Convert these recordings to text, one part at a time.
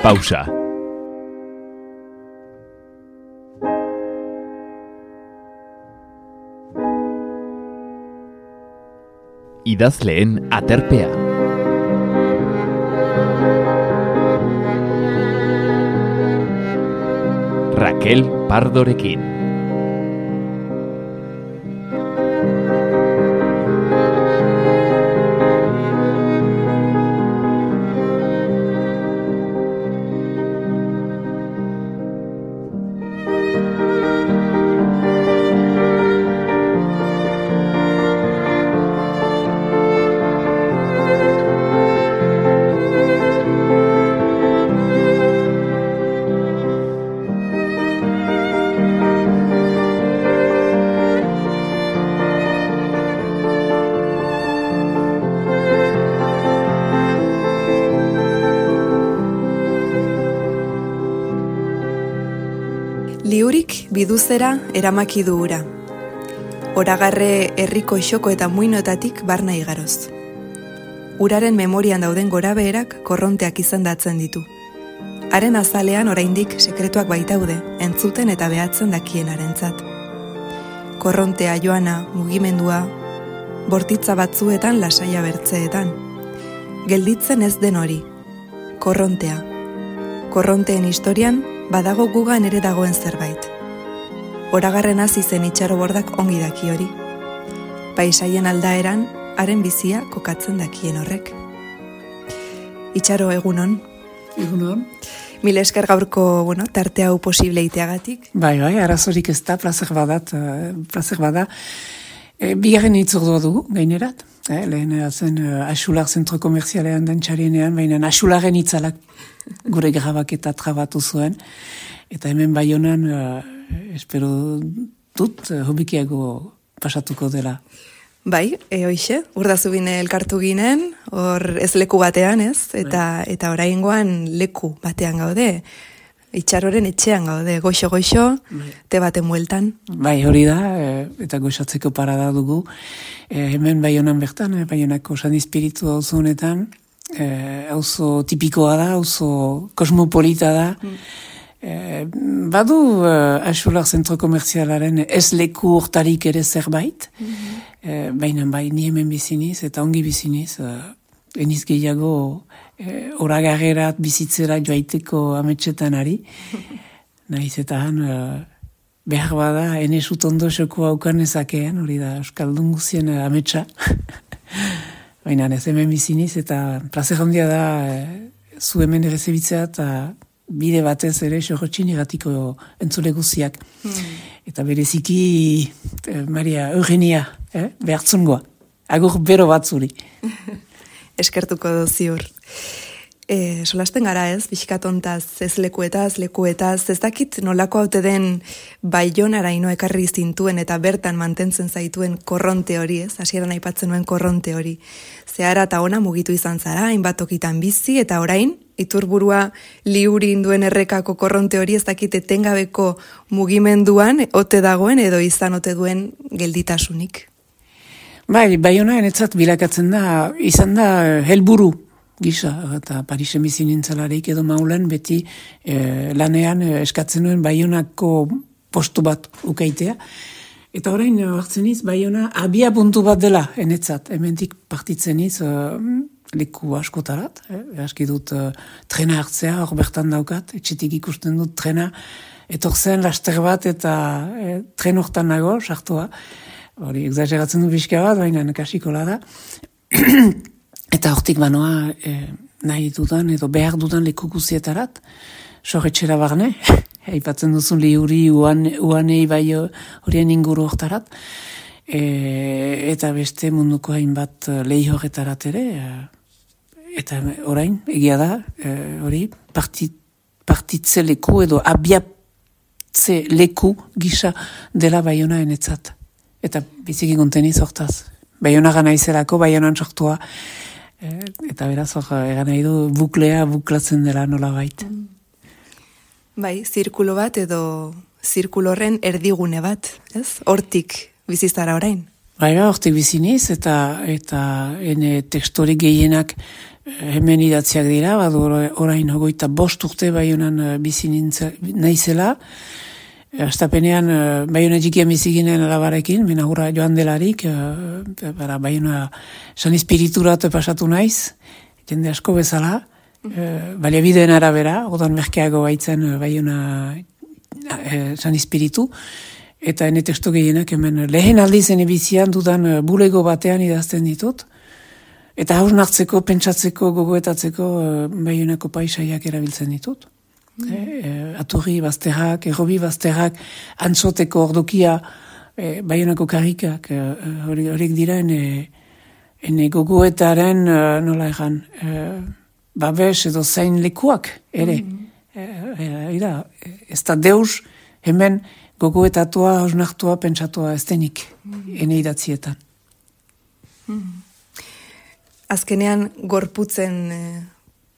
Pausa. Idazleen aterpea. Raquel Pardorekin. Liurik biduzera eramaki du ura. Oragarre herriko isoko eta muinoetatik barna igaroz. Uraren memorian dauden gorabeherak korronteak izandatzen ditu. Haren azalean oraindik sekretuak baitaude, entzuten eta behatzen dakienarentzat. Korrontea joana, mugimendua, bortitza batzuetan lasaia bertzeetan. Gelditzen ez den hori. Korrontea. Korronteen historian badago gugan ere dagoen zerbait. Oragarren hasi zen itxarobordak ongi daki hori. Paisaien aldaeran, haren bizia kokatzen dakien horrek. Itxaro, egunon. Egunon. Mil esker gaurko, tarte hau posible iteagatik. Bai, arazorik ez da, plazer bada. Bigarren itzordua dugu, gainerat. Lehen zen Axular zentro komerzialean dantxarienean, baina Axularen itzalak gure grabaketa trabatu zuen. Eta hemen Baionan, espero dut, hobikiago pasatuko dela. Bai, hoixe, urdazu bine elkartu ginen, hor ez leku batean, ez? Eta oraingoan leku batean gaude. Itxaroren etxean gaude, goixo, te baten bueltan. Bai, hori da, eta goxatzeko parada dugu. Hemen Baionan bertan, Baionako San Espiritu auzo honetan, auzo tipikoa da, auzo kosmopolita da. Badu Axular zentro komerzialaren ez leku hortarik ere zerbait, baina bai, ni hemen biziniz eta ongi biziniz, eniz gehiago oragarrerat bizitzera joaiteko ametxetan ari. Naiz eta han behar bada, enesut ondo xoko haukan ezakean, hori da Euskaldun guzien ametsa. Baina ez hemen biziniz eta plazer handia da zu hemen errezebitzea eta bide batez ere xorrotxin egatiko entzule guziak. Eta bereziki Maria Eugenia, behartzungoa. Agur bero bat zuri. Eskertuko ziur. Solasten gara ez, pixkatontaz, ez lekuetaz, ez dakit nolako haute den Baionara ino ekarri zintuen eta bertan mantentzen zaituen korronte hori, ez, hasieran aipatzen nuen korronte hori. Zehara eta ona mugitu izan zara, hainbat tokitan bizi, eta orain, iturburua liurin duen errekako korronte hori ez dakit etengabeko mugimenduan, ote dagoen edo izan ote duen gelditasunik. Bai, Baiona enetzat bilakatzen da, izan da helburu gisa, eta Parisen bizi nintzalarik edo maulen beti lanean eskatzen nuen Baionako postu bat ukaitea. Eta orain hartzen iz, Baiona abia puntu bat dela enetzat, hementik partitzen iz leku askotarat, aski dut trena hartzea, hor bertan daukat, etxetik ikusten dut trena, etorzen laster bat eta tren hortan nago, sartua. Hori, exageratzen du pixka bat, baina kasikola da. Eta hortik banoa nahi dudan edo behar dudan leku guzietarat, sorretxera barne, aipatzen duzun liuri uanei bai horien inguru hortarat, eta beste munduko hainbat lehi horretarat ere, eta orain, egia da, hori, partitze leku edo abiatze leku gisa dela Baiona enetzat. Eta biziki konteniz hortaz. Baiona gana izelako, Baionan sortua, eta beraz hor egan nahi du buklatzen dela nola bait. Bai, zirkulo bat edo zirkulorren erdigune bat, ez? Hortik bizizara orain. Bai, hortik biziniz, eta ene tekstori gehienak hemen idatziak dira, badu orain 25 urte Baionan bizi naizela. Astapenean Baiona txikian bizi ginen alabarekin, mena hurra joan delarik, Baiona San Espirituratu pasatu naiz, jende asko bezala, baliabideen arabera, odan merkeago baitzen Baiona San Espiritu, eta ene testu gehienak hemen lehen aldizen ebizian dudan bulego batean idazten ditut, eta hausnartzeko, pentsatzeko, gogoetatzeko Baionako paisaiak erabiltzen ditut. Aturri bazterrak, errobi bazterrak, antzoteko ordokia, Baionako karrikak, horiek dira ene gogoetaren, nola egan, babes edo zain lekuak, ere. Ez da deus hemen gogoetatua, hausnartua, pentsatua ez denik, ene idatzietan. Azkenean gorputzen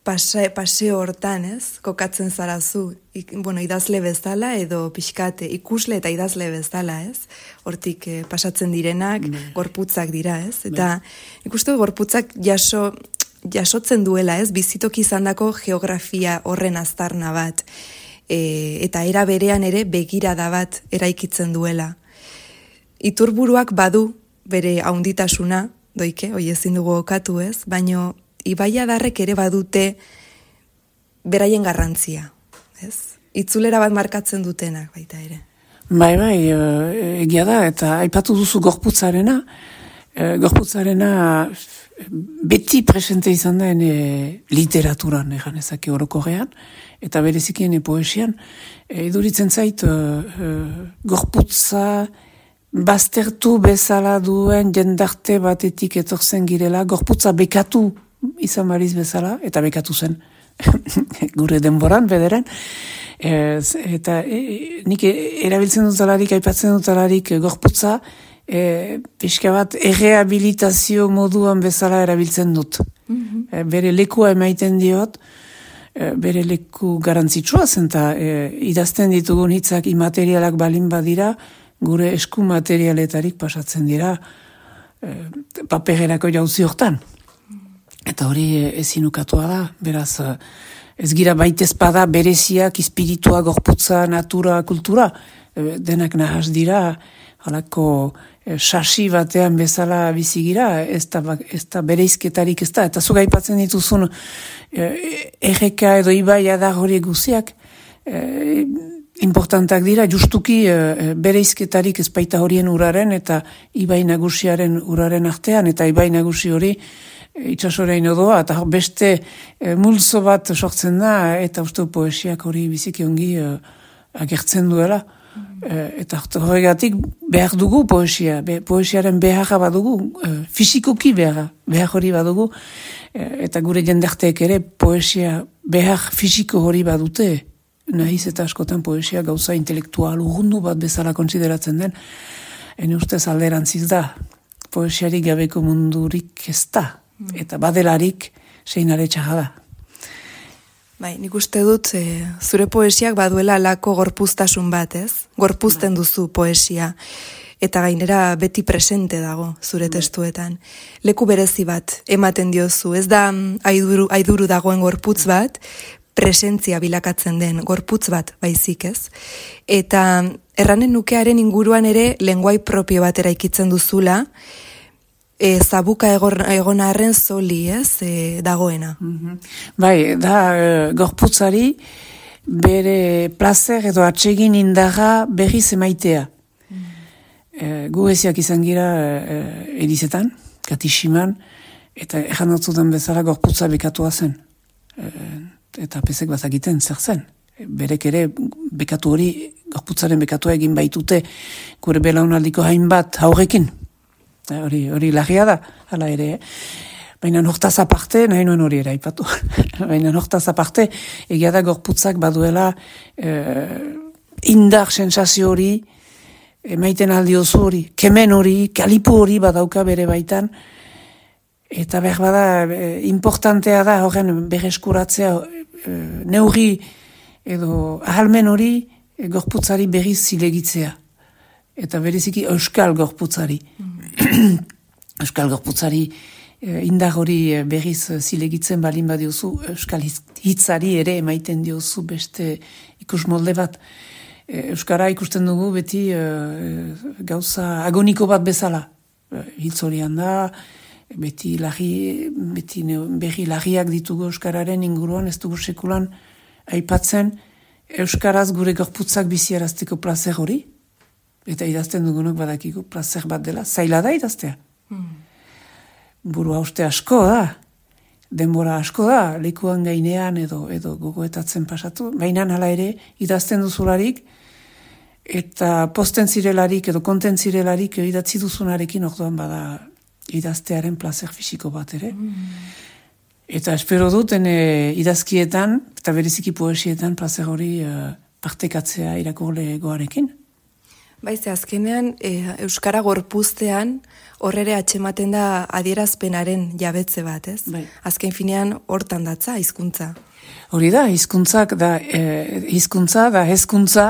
paseo hortan, kokatzen zarazu, idazle bezala edo pixkate ikusle eta idazle bezala, hortik pasatzen direnak gorputzak dira, eta ikustu gorputzak jasotzen duela, bizitoki izandako geografia horren aztarna bat, eta era berean ere begirada bat eraikitzen duela. Iturburuak badu bere haunditasuna, doike, hoi ezin dugu okatu baino ibaiadarrek ere badute beraien garrantzia, Itzulera bat markatzen dutenak baita ere. Bai, egia da, eta aipatu duzu gorputzarena beti presente izan da literaturan, egan ezake orokorrean, eta berezikien poesian, iduritzen zait gorputza baztertu bezala duen jendarte batetik etortzen girela, gorputza bekatu izan bariz bezala, eta bekatu zen gure denboran, bederen, eta nik erabiltzen dutalarik, aipatzen dutalarik gorputza, pixka bat errehabilitazio moduan bezala erabiltzen dut. Bere lekua emaiten diot, bere leku garantzitsua zen, eta idazten ditugun hitzak imaterialak balin badira, gure esku materialetarik pasatzen dira papererako jauzi hortan. Eta hori ezinukatua da, beraz, ez gira baitezpada bereziak, espiritua, gorputza, natura, kultura, denak nahaz dira, halako sasi batean bezala bizigira, ez da bereizketarik ez da, eta zuga aipatzen dituzun erreka edo ibaia da hori guziak, importantak dira, justuki bereizketarik ez baita horien uraren eta ibai nagusiaren uraren artean, eta ibai nagusi hori itxasorein odoa, eta beste multzo bat sortzen da, eta uste poesiak hori biziki ongi agertzen duela. Eta horregatik behar dugu poesia, poesiaren beharra badugu, fisikoki behar hori badugu, eta gure jendarteek ere poesia behar fisiko hori badute, nahiz eta askotan poesia gauza intelektual urrundu bat bezala konsideratzen den, ene ustez alderantziz da, poesiarik gabeko mundurik ez da, eta badelarik seinale txarra da. Bai, nik uste dut zure poesiak baduela alako gorpuztasun bat, Gorpuzten duzu poesia, eta gainera beti presente dago zure testuetan. Leku berezi bat ematen diozu, ez da aiduru dagoen gorputz bat, presentzia bilakatzen den gorputz bat baizik, Eta erranen nukearen inguruan ere lenguai propio bat eraikitzen duzula, zabuka egon arren zoli, dagoena. Bai, da gorputzari bere plazer edo atsegin indarra berriz emaitea. Gu eziak izan gira edizetan, katishiman, eta ejan dutzudan bezala gorputza bekatua zen. Eta pesek bazakiten zer zen. Berek ere bekatu hori, gorputzaren bekatua egin baitute gure belaunaldiko hainbat haurrekin. Hori lagia da, hala ere. Baina hortaz aparte, nahi nuen hori ere aipatu. Baina hortaz aparte, egia da gorputzak baduela indar sensazio hori, emaiten aldiozu hori, kemen hori, kalipu hori badauka bere baitan, eta behar bada, importantea da horren berreskuratzea neurri edo ahalmen hori gorputzari berriz zilegitzea. Eta bereziki euskal gorputzari. Euskal gorputzari indar hori berriz zilegitzen balin badiozu, Euskal hitzari ere emaiten diozu beste ikus molde bat. Euskara ikusten dugu beti gauza agoniko bat bezala. Hitz horian da, beti berri larriak ditugu Euskararen inguruan, ez dugu sekulan aipatzen Euskaraz gure gorputzak biziarazteko plazer hori, eta idazten dugunok badakigu plazer bat dela, zaila da idaztea. Buru hauste asko da, denbora asko da, lekuan gainean edo gogoetatzen pasatu, baina hala ere idazten duzularik, eta posten zirelarik edo konten zirelarik idatzi duzunarekin orduan bada idaztearen plazer fisiko bat ere. Eta espero duten idazkietan, eta bereziki poesietan plazer hori partekatzea irakurlegoarekin. Baize, azkenean, Euskara gorpuztean horrere atxematen da adierazpenaren jabetze bat, ez? Bai. Azken finean hortan datza, hizkuntza. Hori da, hizkuntzak da, hizkuntza da, hezkuntza,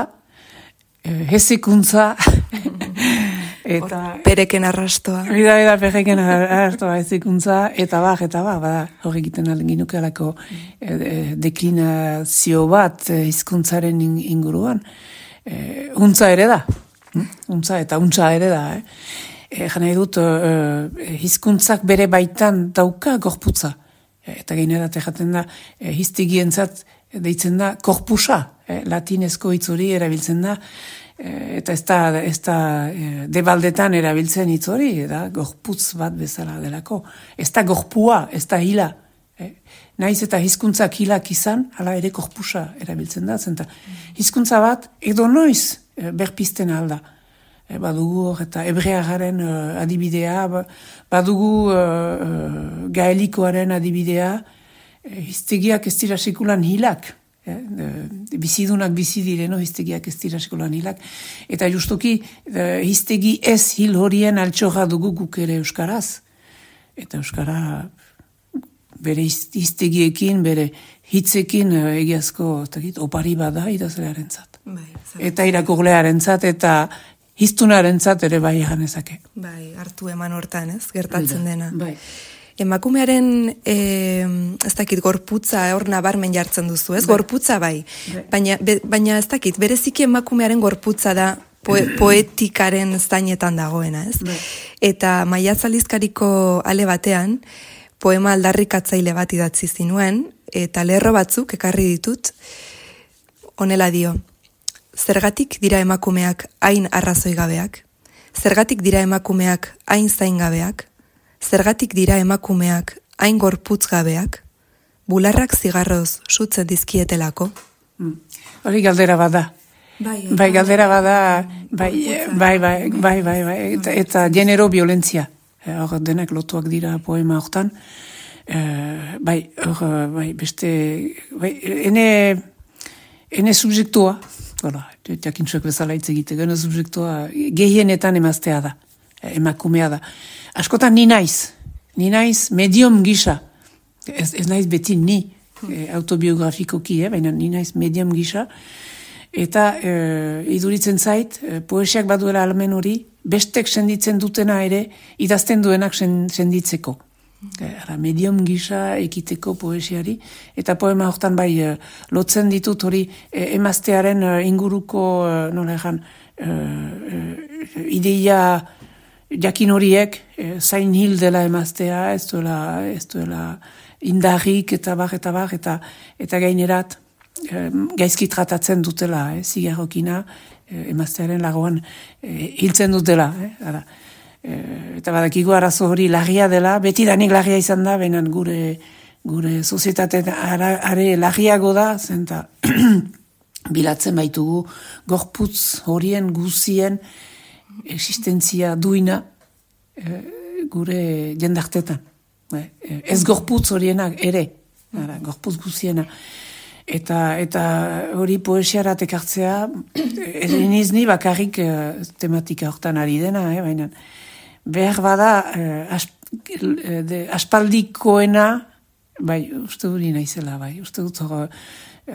hezikuntza, eta... Pereken arrastoa. Hori da, pereken arrastoa, hezikuntza, eta bada, hori egiten ginukealako deklinazio bat hizkuntzaren inguruan. Untza ere da. Untza eta untza ere da. Jana edut, hizkuntzak bere baitan dauka gorputza. Eta gainerat jaten da, hiztegientzat deitzen da korpusa. Latinezko hitz hori erabiltzen da. Eta ez da debaldetan erabiltzen hitz hori, da gorputz bat bezala delako. Ez da gorpua, ez da hila. Naiz eta hizkuntzak hilak izan, hala ere korpusa erabiltzen da. Zenta, hizkuntza bat edo noiz berpizten alda. Badugu eta hebreagaren adibidea, badugu gaelikoaren adibidea, hiztegiak ez dira sekulan hilak. Bizidunak bizi direno, hiztegiak ez dira sekulan hilak. Eta justuki hiztegi ez hil horien altxorra dugu guk ere euskaraz. Eta euskara bere hiztegiekin, bere hitzekin egiazko opari bada idazlearentzat. Eta irakurlearentzat eta hiztunarentzat ere bai ganezake. Bai, hartu eman hortan, ez? Gertatzen dena. Bai. Emakumearen, ez dakit, gorputza hor nabarmen jartzen duzu, ez? Bai. Gorputza bai. Baina ez dakit, bereziki emakumearen gorputza da poetikaren zainetan dagoena, ez? Bai. Eta Maiatzaldizkariko ale batean, poema aldarrikatzaile bat idatzi zinuen, eta lerro batzuk ekarri ditut, honela dio. Zergatik dira emakumeak hain arrazoi gabeak? Zergatik dira emakumeak hain zain gabeak? Zergatik dira emakumeak hain gorputz gabeak? Bularrak zigarroz sutzen dizkietelako? Hori galdera bada. Bai, galdera bada, bai, eta genero violentzia. Hor denak lotuak dira poema hortan. Beste, ene subjektua, jakintzuek bezala hitz egiteko, ene subjektua gehienetan emaztea da, emakumea da. Askotan ni naiz medium gisa, ez naiz beti ni autobiografikoki, baina ni naiz medium gisa, eta iduritzen zait, poesiak baduela almen hori, bestek senditzen dutena ere, idazten duenak senditzeko. Medium gisa ekiteko poesiari, eta poema hortan bai lotzen ditut hori emaztearen inguruko ideia jakin horiek zain hil dela emaztea, ez duela indarrik eta bar, eta gainerat gaizki tratatzen dutela, zigarrokina emaztearen lagoan hiltzen dutela, eta badakigu arazo hori larria dela, beti danik larria izan da, benan gure sozietatean are larriago da, zenta bilatzen baitugu gorputz horien guzien existentzia duina gure jendartetan. Ez gorputz horienak ere, gorputz guziena. Eta hori poesiarat ekartzea, eniz ni bakarrik tematika hortan ari dena, baina behar bada aspaldikoena, bai, uste dut naizela, bai, uste dut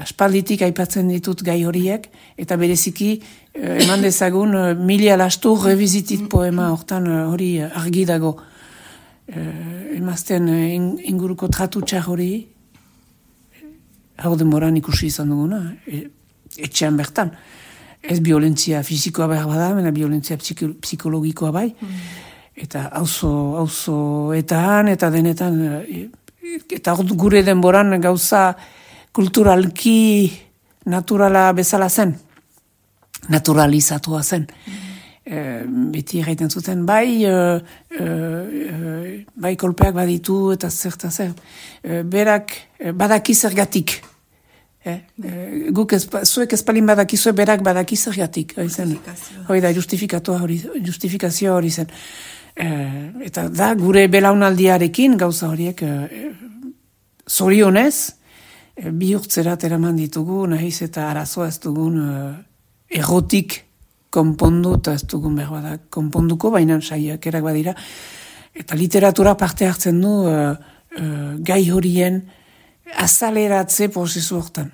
aspalditik aipatzen ditut gai horiek, eta bereziki eman dezagun Milia Lastur revizitit poema hortan hori argi dago. Emazten inguruko tratu txar hori, hau denboran ikusi izan duguna, etxean bertan. Ez violentzia fizikoa behar bada, mena violentzia psikologikoa bai, eta auzoetan eta denetan, eta gure denboran gauza kulturalki naturala bezala zen, naturalizatua zen. Beti egiten zuten, bai kolpeak baditu eta zer. Berak badaki zergatik. Zuek ezpalin badakizue, berak badaki zergatik. Hoi da, justifikazioa hori zen. Eta da, gure belaunaldiarekin gauza horiek zorionez, bihurtzerat eraman ditugu, nahiz eta arazoa ez dugun errotik konpondu, eta ez dugun behar bada konponduko, baina saiakerak badira. Eta literatura parte hartzen du gai horien azaleratze prozesu hortan.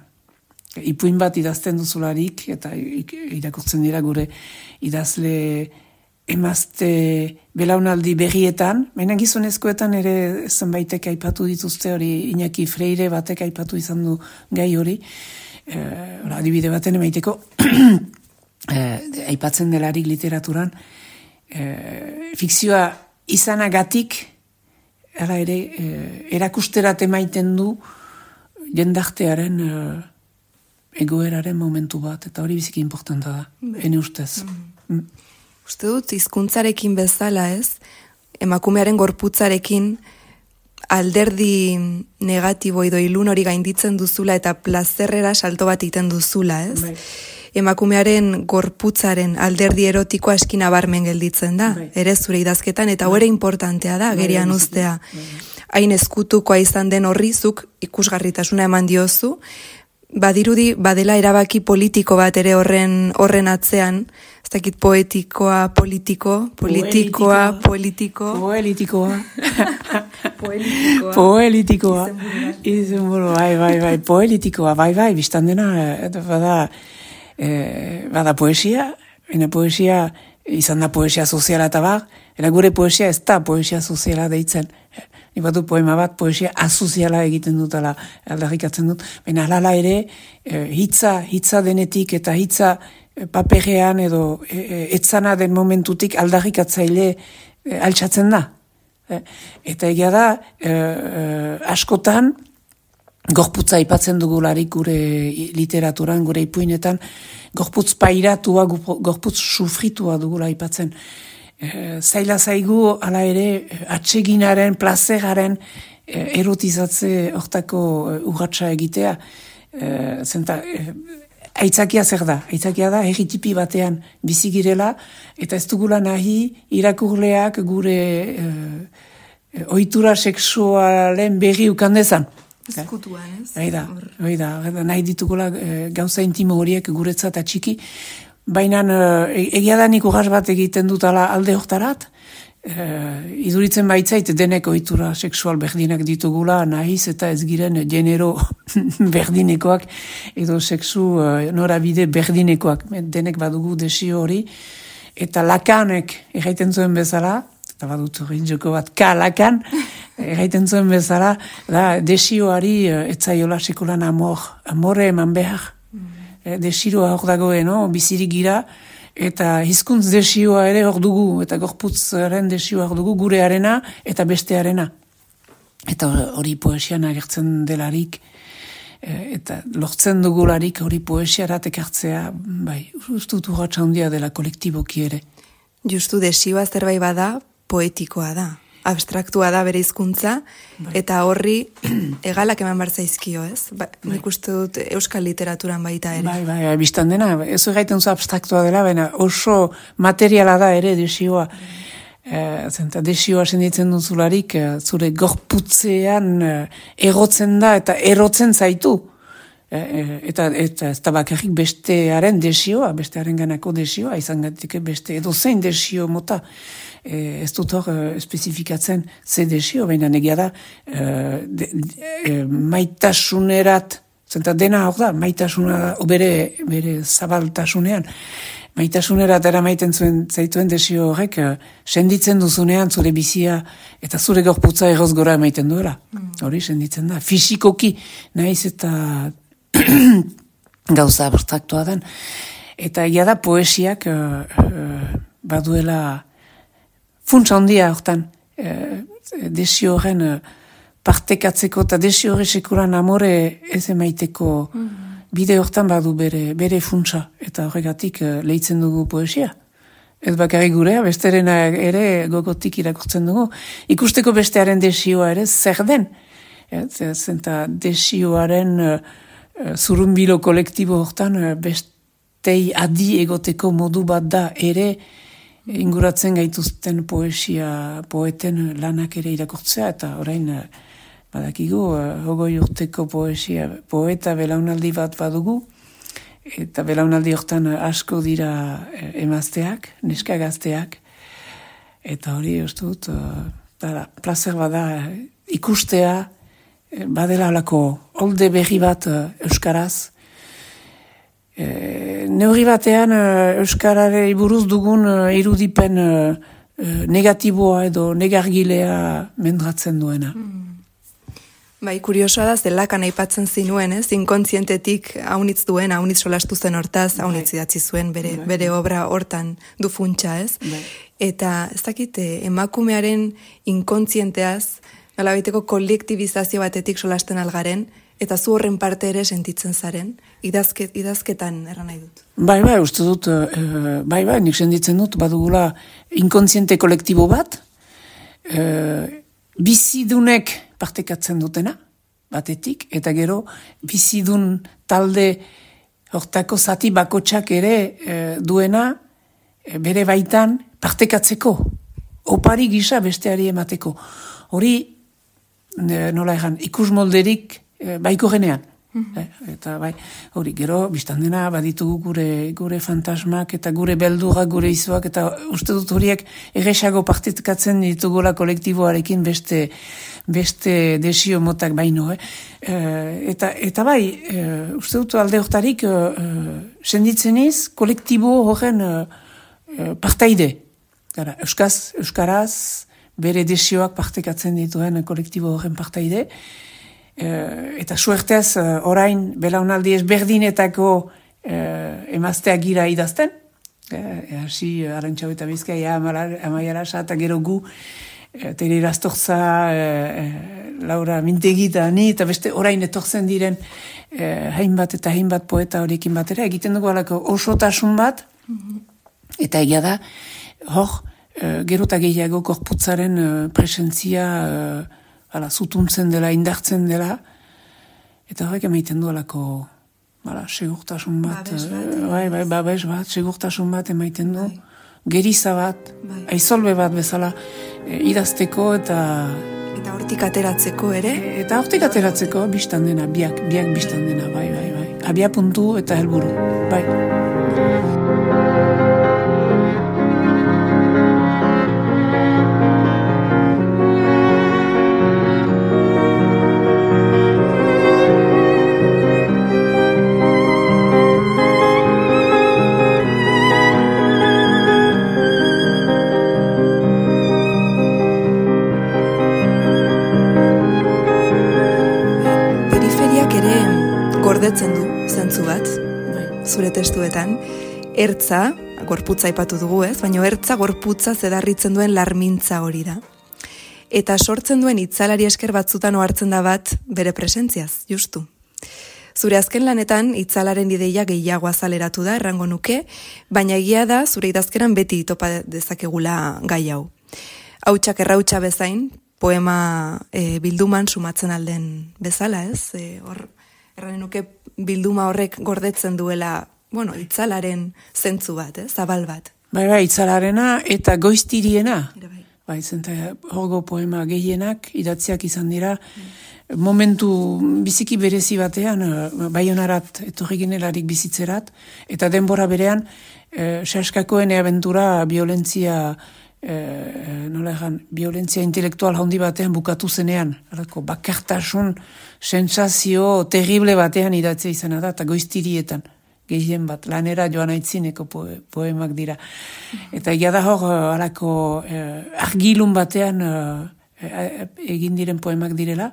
Ipuin bat idazten duzularik, eta irakurtzen dira gure idazle emazte belaunaldi berrietan, baina gizonezkoetan ere zenbaitek aipatu dituzte hori, Iñaki Freire batek aipatu izan du gai hori, adibide baten emaiteko, aipatzen delarik literaturan, fikzioa izanagatik, ere, erakusterat emaiten du jendartearen egoeraren momentu bat, eta hori biziki importanta da, ene ustez. Uste dut, hizkuntzarekin bezala ez, emakumearen gorputzarekin alderdi negatibo edo ilun hori gainditzen duzula eta plazerrera salto bat egiten duzula, ez? Bai. Emakumearen gorputzaren alderdi erotikoa eskina barmen gelditzen da, ere zure idazketan, eta hori importantea da, gerian ustea. Hain eskutukoa izan den horrizuk ikusgarritasuna eman diozu, badirudi badela erabaki politiko bat ere horren atzean, ez dakit poetikoa, politikoa. Izenburu, bai, poetikoa, biztan dena, bada poesia, poesia izan da poesia soziala eta bar, gure poesia ez da poesia soziala deitzen. Nik batu poema bat, poesia asoziala egiten dut, aldarrikatzen dut. Baina alala ere, hitza denetik eta hitza paperean edo etzana den momentutik aldarrikatzaile altxatzen da. Eta egia da, askotan, gorputza aipatzen dugularik gure literaturan, gure ipuinetan, gorputz pairatua, gorputz sufritua dugula aipatzen. Zaila zaigu, ala ere, atseginaren, plazeraren erotizatze hortako urratsa egitea. Aitzakia zer da? Aitzakia da, herritipi batean bizigirela, eta ez dugula nahi irakurleak gure ohitura sexualen berri ukandezan. Ezkutuan, ez? Oida, nahi ditugula gauza intimo horiek guretzat atxiki, baina egia da nik urras bat egiten dutala alde hortarat, iduritzen baitzait denek ohitura sexual berdinak ditugula, nahiz eta ez giren genero berdinekoak edo sexu norabide berdinekoak, denek badugu desio hori, eta Lakanek erraiten zuen bezala, eta badut hori joko bat Lakan, erraiten zuen bezala, da desioari etzaiola sekulan amore eman behar. Desiroa hor dagoen, bizirik gira, eta hizkuntz desioa ere hor dugu, eta gorputzaren desioa hor dugu, gurearena eta bestearena. Eta hori poesian agertzen delarik, eta lortzen dugularik hori poesiarat ekartzea, bai, ustut urratsa handia dela kolektiboki ere. Justu desioa zerbait bada, poetikoa da. Abstraktua da bere hizkuntza, eta horri egalak eman barzaizkio, ez? Nik uste dut euskal literaturan baita ere. Bai, biztan dena, ez gaiten zu abstraktua dela, baina oso materiala da ere desioa. Desioa senditzen duzularik, zure gorputzean egotzen da eta erotzen zaitu. Eta ez da bakarrik bestearen desioa, bestearen ganako desioa, izan gatike beste edozein desio mota. Ez dut hor espezifikatzen ze desio, baina negia da maitasunerat Zenta dena hor da, maitasuna, bere zabaltasunean, maitasunera atera maiten zaituen desio horrek, senditzen duzunean zure bizia eta zure gorputza egoz gora emaiten duela. Hori senditzen da. Fisikoki, nahiz eta gauza abstraktua den. Eta ia da poesiak baduela funtsa handia hortan desio horren partekatzeko eta desio horre sekuran amore ez emaiteko bide hortan badu bere funtsa, eta horregatik lehitzen dugu poesia. Ez bakarrik gurea, besterena ere gogotik irakurtzen dugu. Ikusteko bestearen desioa ere zer den. Zenta desioaren zurunbilo kolektibo hortan bestei adi egoteko modu bat da ere inguratzen gaituzten poeten lanak ere irakurtzea, eta orain badakigu, 20 urteko poeta belaunaldi bat badugu, eta belaunaldi hortan asko dira emazteak, neska gazteak, eta hori uste dut, plazer bada ikustea, badela alako olde berri bat euskaraz, neurri batean euskarari buruz dugun irudipen negatiboa edo negargilea mendratzen duena. Bai, kuriosoa da, zelakan aipatzen zinuen, inkontzientetik haunitz duen, haunitz solastu zen hortaz, haunitz idatzi zuen bere obra hortan du funtsa, ez? Eta ez dakit, emakumearen inkontzienteaz, nolabaiteko kolektibizazio batetik solasten algaren, eta zu horren parte ere sentitzen zaren, idazketan erran nahi dut. Bai, uste dut, nik sentitzen dut, badugula inkontziente kolektibo bat, bizidunek partekatzen dutena, batetik, eta gero bizidun talde hortako zati bakotsak ere duena bere baitan partekatzeko, opari gisa besteari emateko. Hori, nola egan, ikus molderik baiko genean. Eta bai, hori, gero, biztan dena, baditugu gure fantasmak eta gure beldurrak, gure izoak, eta uste dut horiek erresago partekatzen ditugula kolektiboarekin beste desio motak baino. Eta bai, uste dut alde hortarik senditzen iz, kolektibo horren partaide. Euskaraz, bere desioak partekatzen dituen kolektibo horren partaide. Eta suertez orain belaunaldi ezberdinetako emazteak gira idazten. Hasi Arantxau eta Bizkaia, Amaia Arasa, eta gero gu, Tere Irastorza, Laura Mintegi eta ni, eta beste orain etortzen diren hainbat poeta horiekin batera, egiten dugu alako osotasun bat, eta egia da, hor, gero eta gehiago korputzaren presentzia zutuntzen dela, indartzen dela, eta horrek emaiten du alako segurtasun bat, babes bat, segurtasun bat emaiten du, geriza bat, aizolbe bat bezala idazteko eta hortik ateratzeko ere? Eta hortik ateratzeko biztan dena, biak biztan dena, bai. Abia puntu eta helburu, bai. Gordetzen du, zentzu bat, zure testuetan. Ertza, gorputza aipatu dugu ez, baina ertza gorputza zedarritzen duen larmintza hori da. Eta sortzen duen itzalari esker batzutan ohartzen da bat bere presentziaz, justu. Zure azken lanetan itzalaren ideia gehiago azaleratu da, errango nuke, baina egia da zure idazkeran beti topa dezakegula gai hau. Hautsak errautsa bezain, poema bilduman sumatzen alden bezala ez, erranen nuke bilduma horrek gordetzen duela, itzalaren zentzu bat, zabal bat. Bai, itzalarena eta goiztiriena. Bai, zenta horgo poema gehienak idatziak izan dira, momentu biziki berezi batean, Baionarat etorri ginelarik bizitzerat, eta denbora berean, Saskakoen abentura violentzia nola egan, violentzia intelektual handi batean bukatu zenean, alako, bakartasun sentsazio terrible batean idatzea izena da, eta goiztirietan, gehien bat, lanera joan aitzineko poemak dira. Eta egia da hor, alako, argilun batean egin diren poemak direla.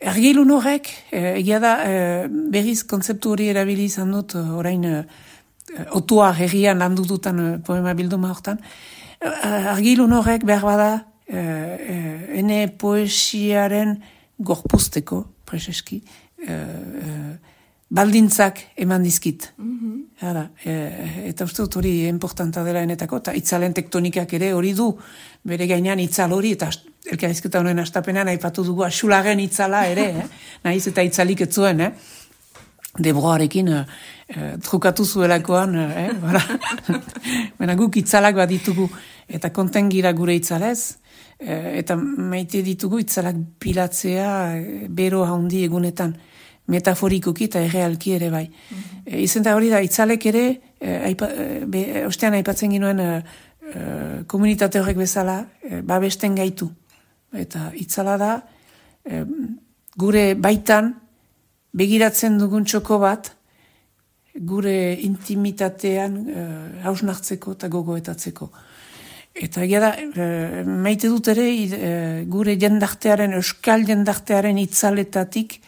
Argilun horrek, egia da, berriz kontzeptu hori erabili izan dut, orain, otua herrian landututan poema bilduma hortan, argilun horrek behar bada ene poesiaren gorpuzteko, preseski, baldintzak eman dizkit. Eta uste dut hori importanta dela enetako, eta itzalen tektonikak ere hori du, bere gainean itzal hori, eta elkarrizketa honen astapenean aipatu dugu asulagen itzala ere, nahiz eta itzalik ez zuen, Debroarekin trukatu zuelakoan, guk itzalak bat ditugu, eta konten gira gure itzalez, eta maite ditugu itzalak pilatzea bero handi egunetan, metaforikoki eta errealki ere bai. Izen da hori da, itzalek ere, ostean aipatzen ginoen komunitate horrek bezala, babesten gaitu. Eta itzala da, gure baitan, begiratzen dugun txoko bat, gure intimitatean hausnartzeko eta gogoetatzeko. Eta egia da, maite dut ere, gure jendartearen, euskal jendartearen itzaletatik,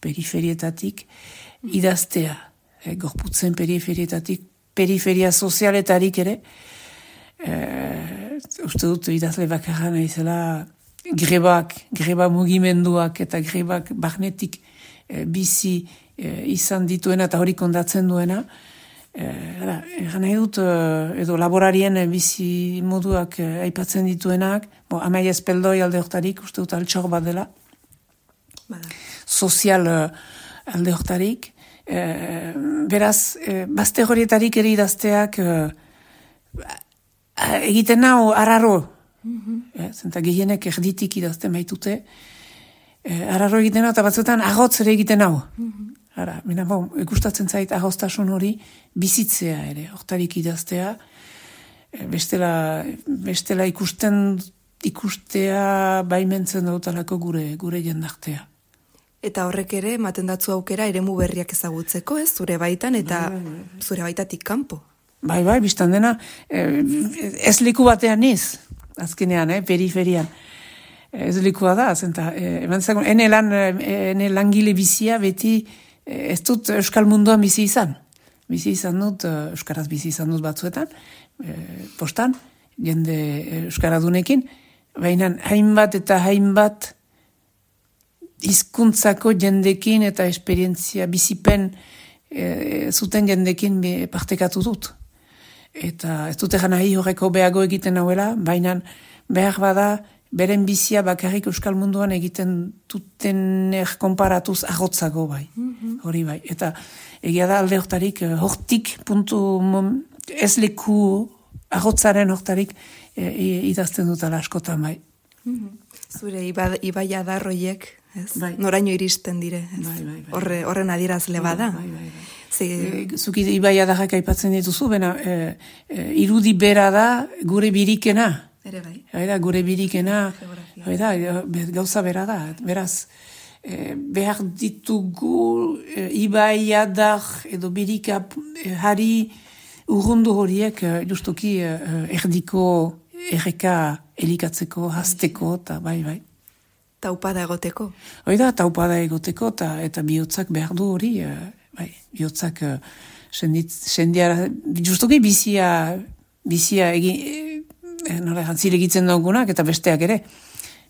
periferietatik, idaztea. Gorputzen periferietatik, periferia sozialetarik ere, uste dut idazle bakarra nahizela greba mugimenduak eta grebak barnetik bizi izan dituena eta hori kondatzen duena. Egan nahi dut, edo laborarien bizi moduak aipatzen dituenak, Amaia Espeldoi alde hortarik, uste dut altxor bat dela, sozial alde hortarik. Beraz, bazte horietarik ere idazteak egiten nau arraro, zenta gehienek erditik idazten baitute, arraro egiten nau, eta batzuetan agotz ere egiten nau. Gustatzen zait agoztasun hori bizitzea ere, hortarik idaztea, bestela ikustea baimentzen dautalako gure jendartea. Eta horrek ere, ematen datzu aukera eremu berriak ezagutzeko, ez? Zure baitan eta zure baitatik kanpo. Bai, biztan dena, ez liku batean niz, azkenean, periferian. Ez likua da, zenta, ene langile bizia beti ez dut euskal munduan bizi izan. Bizi izan dut, euskaraz bizi izan dut batzuetan, postan, jende euskaradunekin, baina hainbat eta hainbat hizkuntzako jendekin eta esperientzia bizipen zuten jendekin partekatu dut. Eta ez dut egan nahi horreko behago egiten nauela, baina behar bada beren bizia bakarrik euskal munduan egiten dutener konparatuz agotzago bai. Hori bai. Eta egia da alde hortarik, hortik puntu ez leku agotzaren hortarik idazten dutala askotan bai. Zure ibai adarroiek, noraino iristen dire. Horren adierazle bada. Zuki ibai adarrak aipatzen dituzu, bena irudi bera da gure birikena. Ere bai. Gure birikena, gauza bera da. Beraz, behar ditugu ibai adar edo birika hari urrundu horiek justuki erdiko erreka elikatzeko, hazteko, eta bai. Taupada egoteko. Taupada egoteko, eta bihotzak behar du hori, bihotzak sendiara, justuki bizia zilegitzen daugunak, eta besteak ere,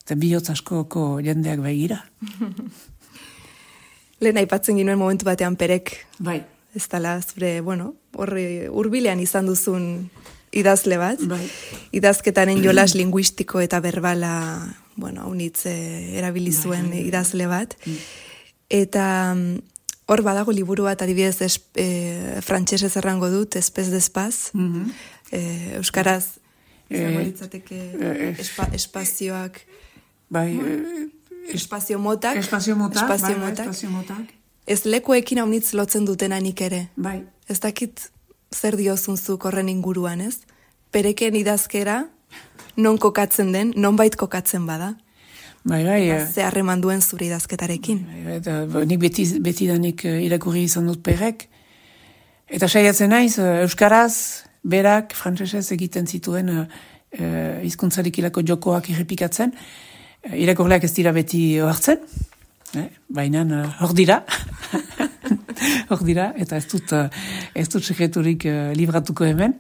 eta bihotz askoko jendeak baigira. Lehen aipatzen ginuen momentu batean perek. Bai. Ez dala, zure, horre urbilean izan duzun idazle bat. Bai. Idazketaren jolas linguistiko eta berbala, haunitz erabilizuen idazle bat. Eta hor badago liburu bat, adibidez frantsesez errango dut, espez despaz, euskaraz, izango espazioak, espazio motak, ez lekuekin haunitz lotzen dutenanik ere. Bai. Ez dakit zer diozunzuk horren inguruan, ez? Pereken idazkera, non kokatzen den, nonbait kokatzen bada. Bai. Ze harreman duen zure idazketarekin. Eta nik beti danik irakurri izan dut perrek. Eta saiatzen naiz, euskaraz, berak, frantsesez egiten zituen hizkuntzarik ilako jokoak errepikatzen. Irakurleak ez dira beti hartzen, baina hor dira. Hor dira, eta ez dut sekreturik libratuko hemen.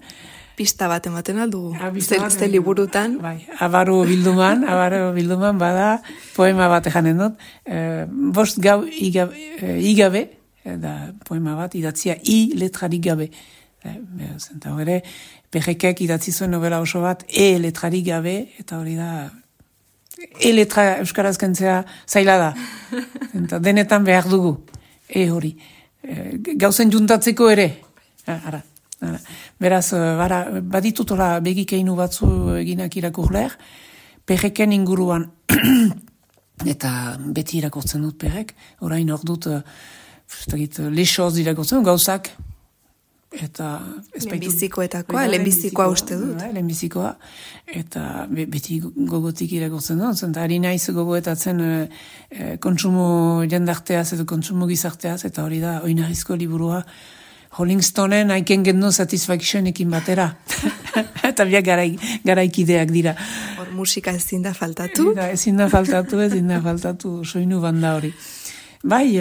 Pista bat ematen aldu, ze liburutan. Bai, Abaro bilduman bada, poema bat ejanen dut, 5 gau igabe, da poema bat idatzia letrarik gabe. Zenta hori, Perrekek idatzi zuen novela oso bat, letrarik gabe, eta hori da, letra euskaraz kentzea zaila da. Zenta denetan behar dugu, hori. Gauzen juntatzeko ere, ara. Beraz, baditutola begikeinu batzu eginak irakurleer, Perreken inguruan, eta beti irakurtzen dut Perrek, orain hor dut, lesoz irakurtzen, gauzak, eta... lehenbizikoa uste dut. Lehenbizikoa, eta beti gogotik irakurtzen dut, zenta ari naiz gogoetatzen kontsumo jendarteaz edo kontsumo gizarteaz, eta hori da, oinarrizko liburua, Rolling Stoneen I Can Get No Satisfactionekin batera. Eta biak garaikideak dira. Hor musika ezin da faltatu. Ezin da faltatu, soinu banda hori. Bai,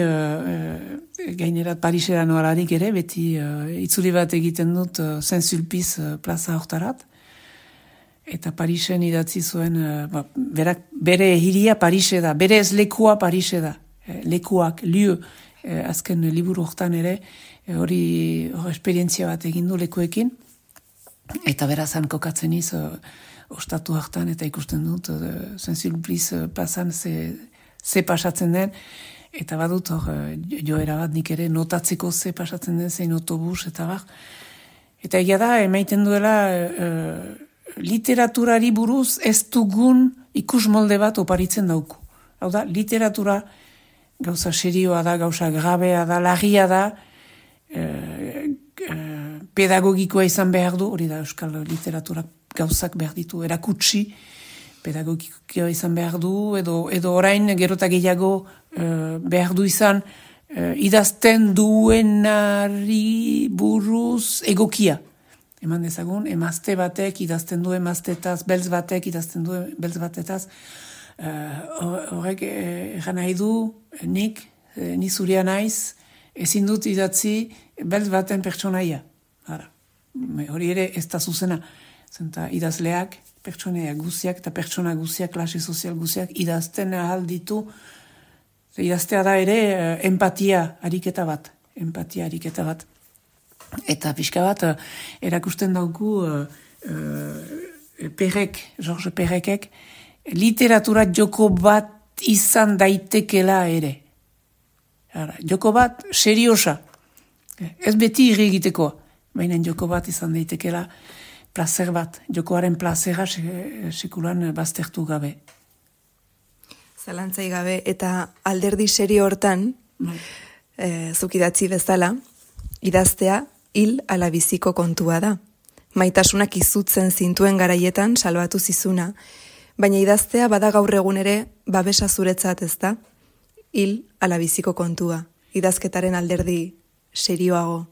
gainerat Parisera noararik ere, beti itzuli bat egiten dut Saint-Sulpice plaza hortarat. Eta Parisen idatzi zuen, bere hiria Parise da, bere ez lekua Parise da. Lekuak, liu, azken liburu hortan ere, hori esperientzia bat egin du lekuekin, eta berazan kokatzen iz, ostatu hartan, eta ikusten dut, Saint-Sulpice pasan ze pasatzen den, eta badut hor, joera bat nik ere notatzeko ze pasatzen den, zein autobus, eta bar. Eta egia da, emaiten duela, literaturari buruz ez dugun ikus molde bat oparitzen dauku. Hau da, literatura gauza serioa da, gauza grabea da, larria da, pedagogikoa izan behar du, hori da euskal literatura gauzak behar ditu, erakutsi, pedagogikoa izan behar du, edo orain gerota gehiago behar du izan idazten duenari buruz egokia. Eman dezagun, emazte batek idazten du emaztetaz, beltz batek idazten du beltz batetaz, horrek egan nahi du, ni zuria naiz, ezin dut idatzi beltz baten pertsonaia. Hori ere ez da zuzena. Zenta idazleak, pertsonaia guziak eta pertsona guziak, klase sozial guziak idazten ahal ditu. Idaztea da ere empatia ariketa bat. Eta pixka bat erakusten dauku George Perrekek literatura joko bat izan daitekela ere. Joko bat seriosa. Ez beti irri egitekoa, baina joko bat izan daitekela plazer bat. Jokoaren plazera sekulan baztertu gabe. Zalantzai gabe, eta alderdi serio hortan, zuk idatzi bezala, idaztea hil ala biziko kontua da. Maitasunak izutzen zintuen garaietan salbatu zizuna, baina idaztea bada gaur egun ere babesa zuretzat, ez da? Hil ala biziko kontua, idazketaren alderdi serioago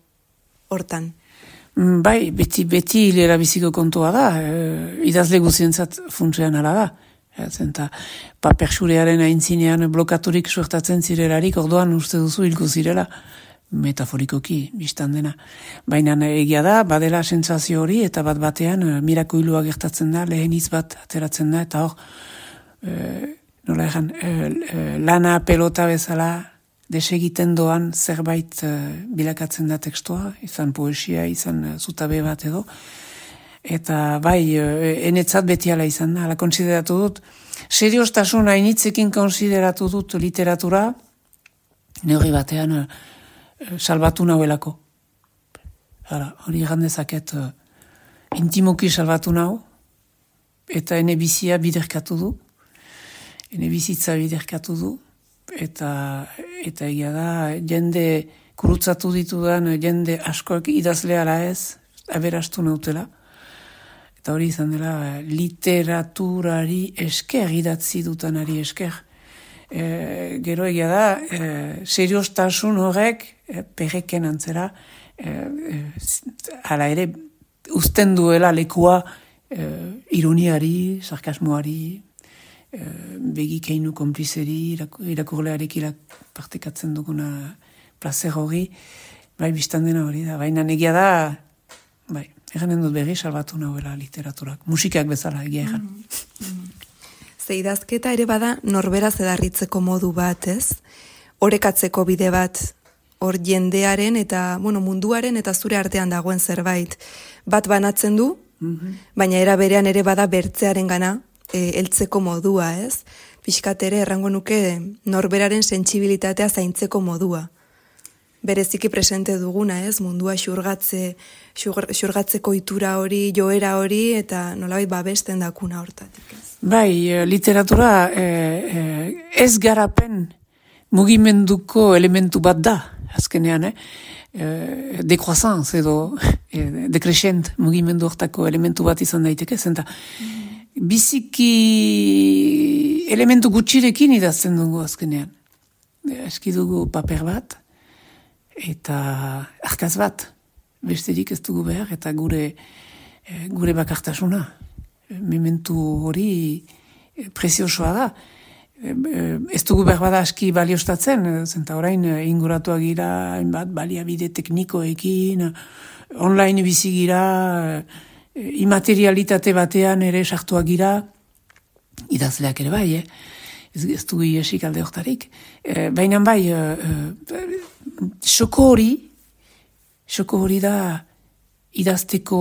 hortan. Bai, beti hilera biziko kontua da, idazle guzientzat funtsean ala da. Zenta, paperxurearen aintzinean blokaturik suertatzen zirelarik, orduan uste duzu hilko zirela, metaforikoki, biztan dena. Baina egia da, badela sentsazio hori, eta bat batean mirakoilua gertatzen da, lehen hitz bat ateratzen da, eta hor, nola egan, lana pelota bezala desegiten doan zerbait bilakatzen da tekstua, izan poesia, izan zutabe bat edo, eta bai, enetzat beti ala izan da, ala konsideratu dut, seriostasun hainitzekin konsideratu dut literatura, neurri batean salbatu nauelako. Hori gandezaket intimoki salbatu nau, eta ene bizia biderkatu du, ene bizitza biderkatu du, eta egia da, jende kurutzatu ditudan, jende askoak idazleala ez, aberastu nautela, Eta hori izan dela literaturari esker, idatzi dutanari esker. Gero egia da, seriostasun horrek perreken antzera, hala ere, uzten duela lekua ironiari, sarkasmoari, begikeinu konplizeri, irakurlearekin partekatzen duguna placer hori, bai, biztan dena hori da. Baina egia da, bai, eganen dut berri salbatu nahuela literaturak. Musikak bezala egia egan. Ze idazketa ere bada norberaz edarritzeko modu bat, ez? Orekatzeko bide bat, hor jendearen eta, munduaren eta zure artean dagoen zerbait. Bat banatzen du, baina era berean ere bada bertzearen gana, heltzeko modua, ez? Pixkat ere errango nuke norberaren sentsibilitatea zaintzeko modua. Bereziki presente duguna, ez? Mundua xurgatzeko itura hori, joera hori, eta nolabait babesten dakuna hortatik, ez? Bai, literatura ez garapen mugimenduko elementu bat da, azkenean, decroissance edo decrescent mugimendu hortako elementu bat izan daiteke, zenta biziki elementu gutxirekin idazten dugu azkenean. Eski dugu paper bat, eta arkaz bat, besterik ez dugu behar, eta gure bakartasuna. Mementu hori preziosoa da. Ez dugu behar bada aski baliostatzen, zenta orain inguratuak gira, hainbat baliabide teknikoekin, online bizi gira, imaterialitate batean ere sartuak gira, idazleak ere bai, ez dugu iesik alde hortarik. Baina bai, xoko hori da idazteko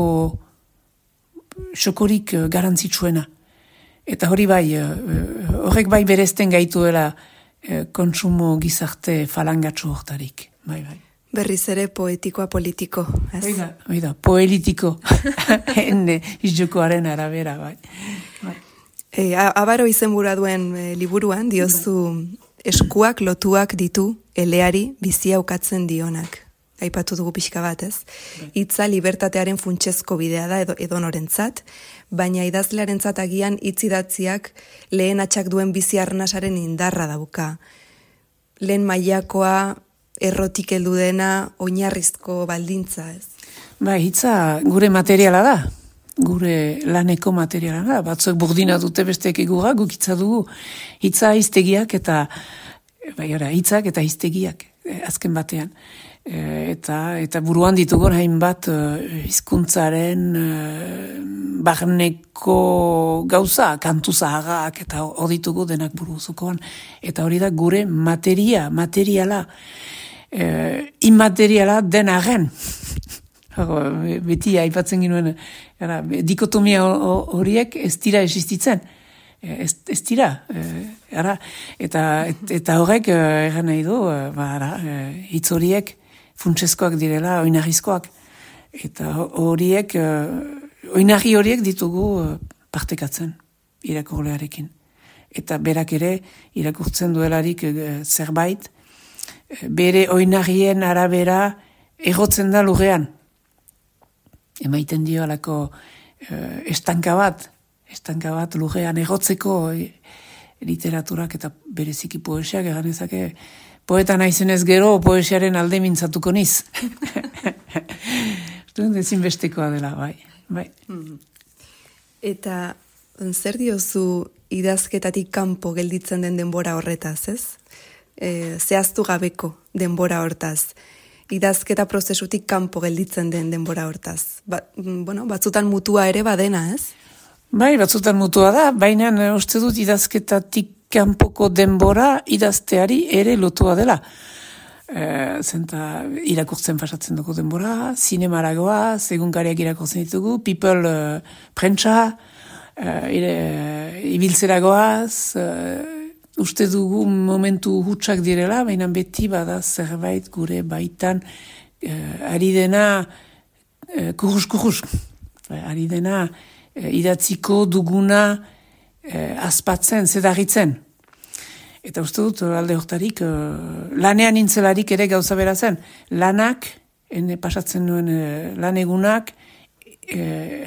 xokorik garantzitsuena. Eta hori bai, horrek bai berezten gaituela kontsumo gizarte falangatxo hortarik. Bai. Berriz ere poetikoa politiko, ez? Oida, poelitiko. Hende, izjokoaren arabera, bai. Abaro izenbura duen liburuan, diozu eskuak lotuak ditu eleari bizia ukatzen dionak. Aipatu dugu pixka bat, ez? Hitza libertatearen funtsezko bidea da edonorentzat, baina idazlearentzat agian hitz idatziak lehen atxak duen bizi arnasaren indarra dauka. Lehen mailakoa, errotik heldu dena, oinarrizko baldintza, ez? Bai, hitza gure materiala da. Gure laneko materiala da. Batzuek burdina dute besteek egura, guk hitza dugu. Hitza hiztegiak eta hitzak eta hiztegiak azken batean. Eta buruan ditugun hainbat hizkuntzaren barneko gauza, kantu zaharrak eta hor ditugu denak buruzukoan. Eta hori da gure materiala, immateriala den arren. Beti aipatzen ginuen, dikotomia horiek ez dira existitzen. Ez dira. Eta horrek egan nahi du, hitz horiek funtsezkoak direla, oinarrizkoak. Eta oinarri horiek ditugu partekatzen irakurlearekin. Eta berak ere irakurtzen duelarik zerbait, bere oinarrien arabera egotzen da lurrean. Emaiten dio alako estanka bat lurrean egotzeko literaturak eta bereziki poesiak eganezake poeta naizenez gero poesiaren alde mintzatuko niz. Ezinbestekoa dela, bai. Eta zer diozu idazketatik kanpo gelditzen den denbora horretaz, ez? Zehaztu gabeko denbora hortaz. Idazketa prozesutik kanpo gelditzen den denbora hortaz. Batzutan mutua ere badena, ez? Bai, batzutan mutua da, baina uste dut idazketatik kanpoko denbora idazteari ere lotua dela. Zenta irakurtzen pasatzen dugu denbora, zinemaragoa, egunkariak irakurtzen ditugu, people prentsa, ibiltzeragoaz, uste dugu momentu hutsak direla, baina beti bada zerbait gure baitan ari dena kurus. Ari dena idatziko duguna azpatzen, zedarritzen. Eta uste dut, alde hortarik, lanean intzelarik ere gauza bera zen. Lanak, pasatzen nuen lan egunak,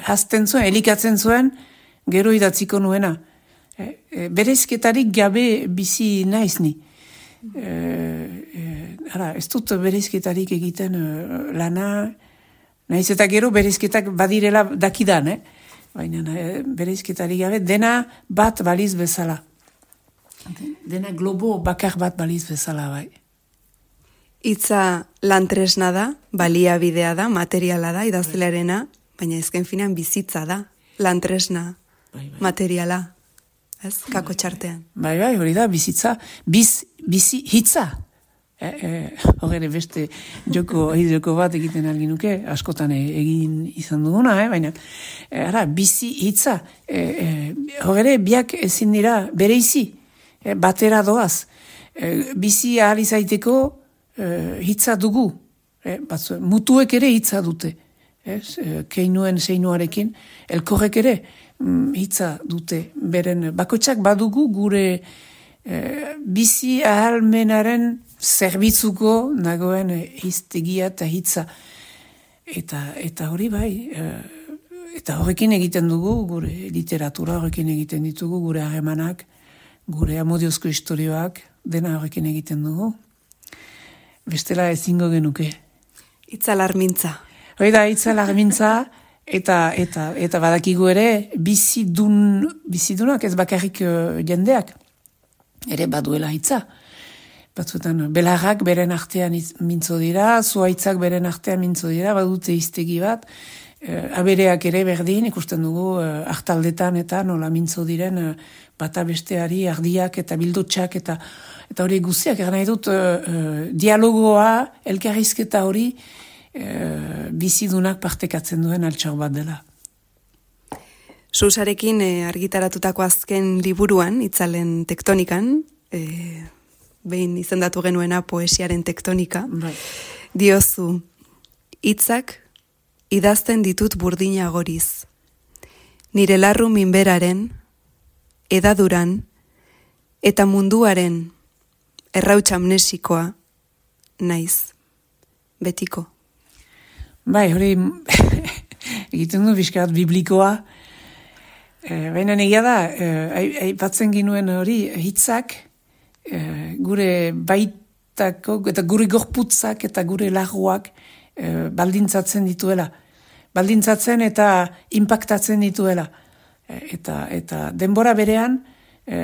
hazten zuen, elikatzen zuen, gero idatziko nuena. Bereizketarik gabe bizi naiz ni. Ez dut bereizketarik egiten lana, naiz eta gero bereizketak badirela dakidan, baina bereizketarik gabe, dena bat baliz bezala. Dena globo bakar bat baliz bezala, bai. Hitza lantresna da, baliabidea da, materiala da, idazlearena, baina ezken finean bizitza da, lantresna, materiala, ez, kako txartean. Bai, hori da, bizitza, bizi hitza. Hogere beste joko bat egiten algin nuke, askotan egin izan duguna, baina, bizi hitza, hogere biak ezin dira bereizi, batera doaz, bizi ahal izaiteko hitza dugu, mutuek ere hitza dute, keinuen zeinuarekin, elkorrek ere hitza dute, beren bakoitzak badugu gure bizi ahalmenaren zerbitzuko nagoen hiztegia eta hitza, eta hori bai, eta horrekin egiten dugu, gure literatura horrekin egiten ditugu, gure harremanak, gure amodiozko historioak, dena horrekin egiten dugu. Bestela ezingo genuke. Itzalarmintza. Hoi da, itzalarmintza, eta badakigu ere, bizidunak ez bakarrik jendeak, ere baduela hitza. Batzuetan, belarrak beren artean mintzo dira, zuaitzak beren artean mintzo dira, badute hiztegi bat, abereak ere berdin, ikusten dugu hartaldetan eta nola mintzo diren bata besteari ardiak eta bildutxak eta hori guztiak, nahi dut dialogoa, elkarrizketa hori bizidunak partekatzen duen altxor bat dela. Susarekin argitaratutako azken liburuan, Itzalen tektonikan, behin izendatu genuena poesiaren tektonika, diozu, hitzak idazten ditut burdina goriz. Nire larru minberaren, edaduran, eta munduaren errautsa amnesikoa naiz, betiko. Bai, hori egiten du bizkat biblikoa, baina negia da, aipatzen ginuen hori hitzak, gure baitako, eta gure gorputzak eta gure larruak baldintzatzen dituela. Baldintzatzen eta impactatzen dituela. Eta denbora berean,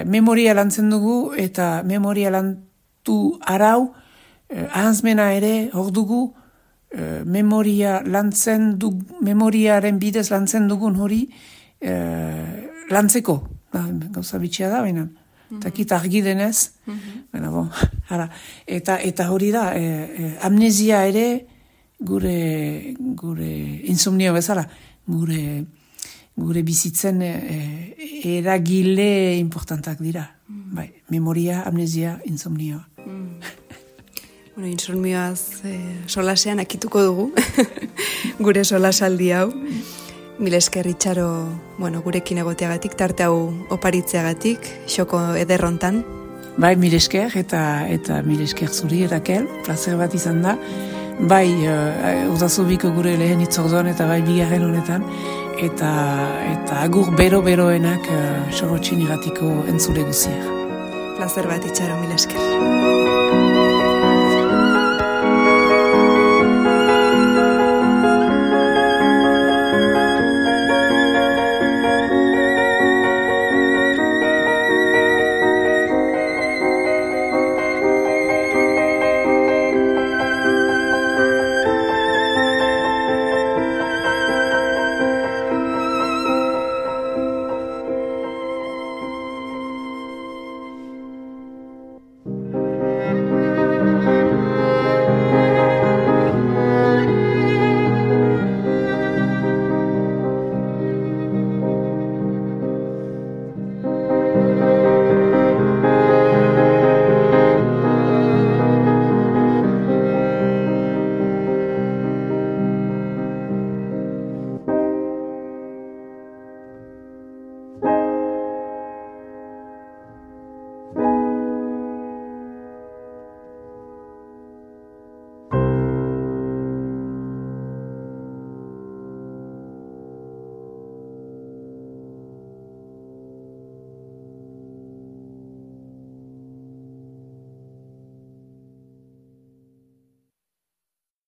memoria lantzen dugu, eta memoria lantu arau, ahanzmena ere hor dugu, memoriaren bidez lantzen dugun hori lantzeko. Gauza bitxia da, baina. Takit argi denez. Eta hori da, amnesia ere gure insomnio bezala, gure bizitzen eragile importantak dira. Bai, memoria, amnesia, insomnioa. Insomnioaz solasean akituko dugu, gure solasaldi hau. Mil esker Itxaro, gurekin egoteagatik, tarte hau oparitzeagatik, xoko ederrontan. Bai, mil esker eta mil esker zuri, Rakel, plazer bat izan da. Bai, udazubiko gure lehen itzorduan eta bai bigarren honetan, eta agur bero-beroenak Sorotxin iratiko entzule guziak. Plazer bat Itxaro, mil esker.